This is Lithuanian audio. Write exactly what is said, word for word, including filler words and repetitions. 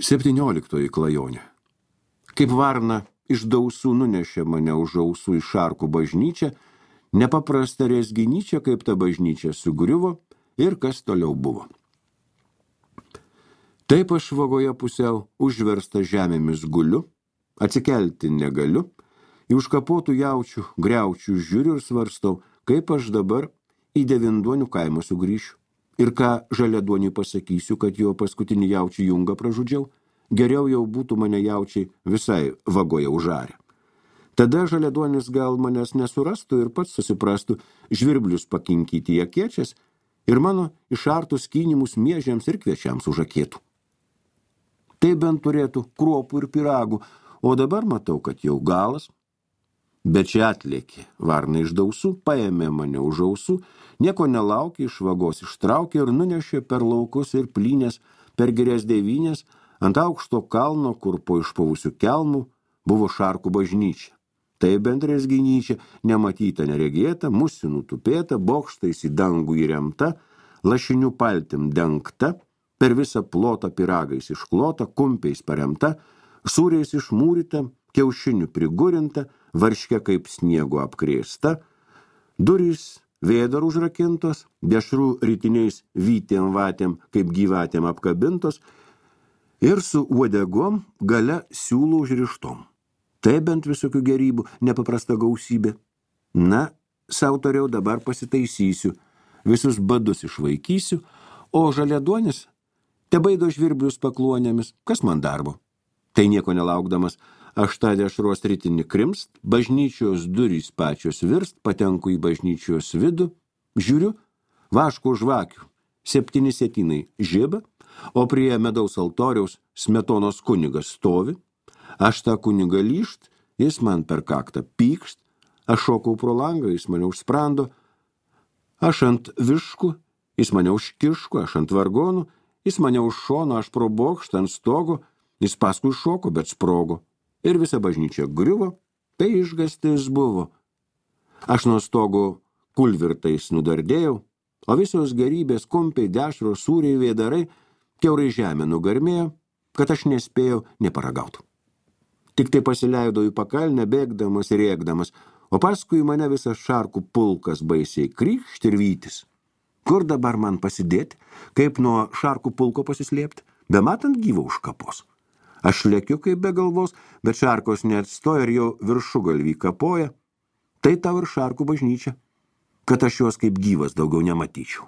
Septynioliktoji klajonė. Kaip varna iš dausų nunešė mane už ausų į Šarkų bažnyčią, nepaprasta rezginyčia, kaip ta bažnyčia sugriuvo ir kas toliau buvo. Taip aš vagoje pusiau užversta žemėmis guliu, atsikelti negaliu, į užkapotų jaučių, griaučių žiūriu ir svarstau, kaip aš dabar į Devinduonių kaimą sugrįšiu. Ir ką Žaliaduoniui pasakysiu, kad jo paskutinį jaučių jungą pražudžiau, geriau jau būtų mane jaučiai visai vagoje užarę. Tada Žaliaduonis gal manęs nesurastų ir pats susiprastų žvirblius pakinkyti į akiečias ir mano išartus kynimus miežiams ir kviečiams užakėtų. Tai bent turėtų kruopų ir piragų, o dabar matau, kad jau galas. Bet čia atlėkė varna iš dausų, paėmė mane už ausų, nieko nelaukė, iš vagos ištraukė ir nunešė per laukus ir plynės, per girias devynės, ant aukšto kalno, kur po išpavusių kelmų buvo Šarkų bažnyčia. Tai bent rezginyčia, nematyta neregėta, musinų tupėta, bokštais į dangų įremta, lašinių paltim dengta, per visą plotą piragais išklota, kumpiais paremta, sūriais išmūryta, kiaušinių prigurinta, varške kaip sniego apkrėsta, durys vėdar užrakintos, dešrų rytiniais vytėm vatėm kaip gyvatėm apkabintos ir su uodegom gale siūlų užrištom. Tai bent visokių gerybų, nepaprasta gausybė. Na, sau tariau, dabar pasitaisysiu, visus badus išvaikysiu, o Žaliaduonis tebaido žvirblius pakluonėmis, kas man darbo. Tai nieko nelaukdamas, aš tą dešros rytinį krimst, bažnyčios durys pačios virst, patenku į bažnyčios vidų, žiūriu, vaško žvakių, septyni sėtinai žiba, o prie medaus altoriaus Smetonos kunigas stovi, aš tą kunigą lyšt, jis man per kaktą pykšt, aš šokau pro langą, jis mane užsprando, aš ant viškų, jis mane už kiškų, aš ant vargonų, jis mane už šono, aš pro bokštą ant stogo, jis paskui šoko, bet sprogo. Ir visa bažnyčia griuvo, tai išgastis buvo. Aš nuo stogo kulvirtais nudardėjau, o visos gerybės, kumpiai, dešros, sūriai, vėdarai, kiaurai žemė nugarmėjo, kad aš nespėjau neparagauti. Tik tai pasileidau į pakalnę, bėgdamas ir rėkdamas, o paskui mane visas Šarkų pulkas baisiai krykšt ir vytis. Kur dabar man pasidėti, kaip nuo Šarkų pulko pasislėpti, bematant gyvo už kapos. Aš lėkiu kaip be galvos, bet Šarkos neatstoja ir jau viršugalvį kapoja. Tai tau ir Šarkų bažnyčia, kad aš jos kaip gyvas daugiau nematyčiau.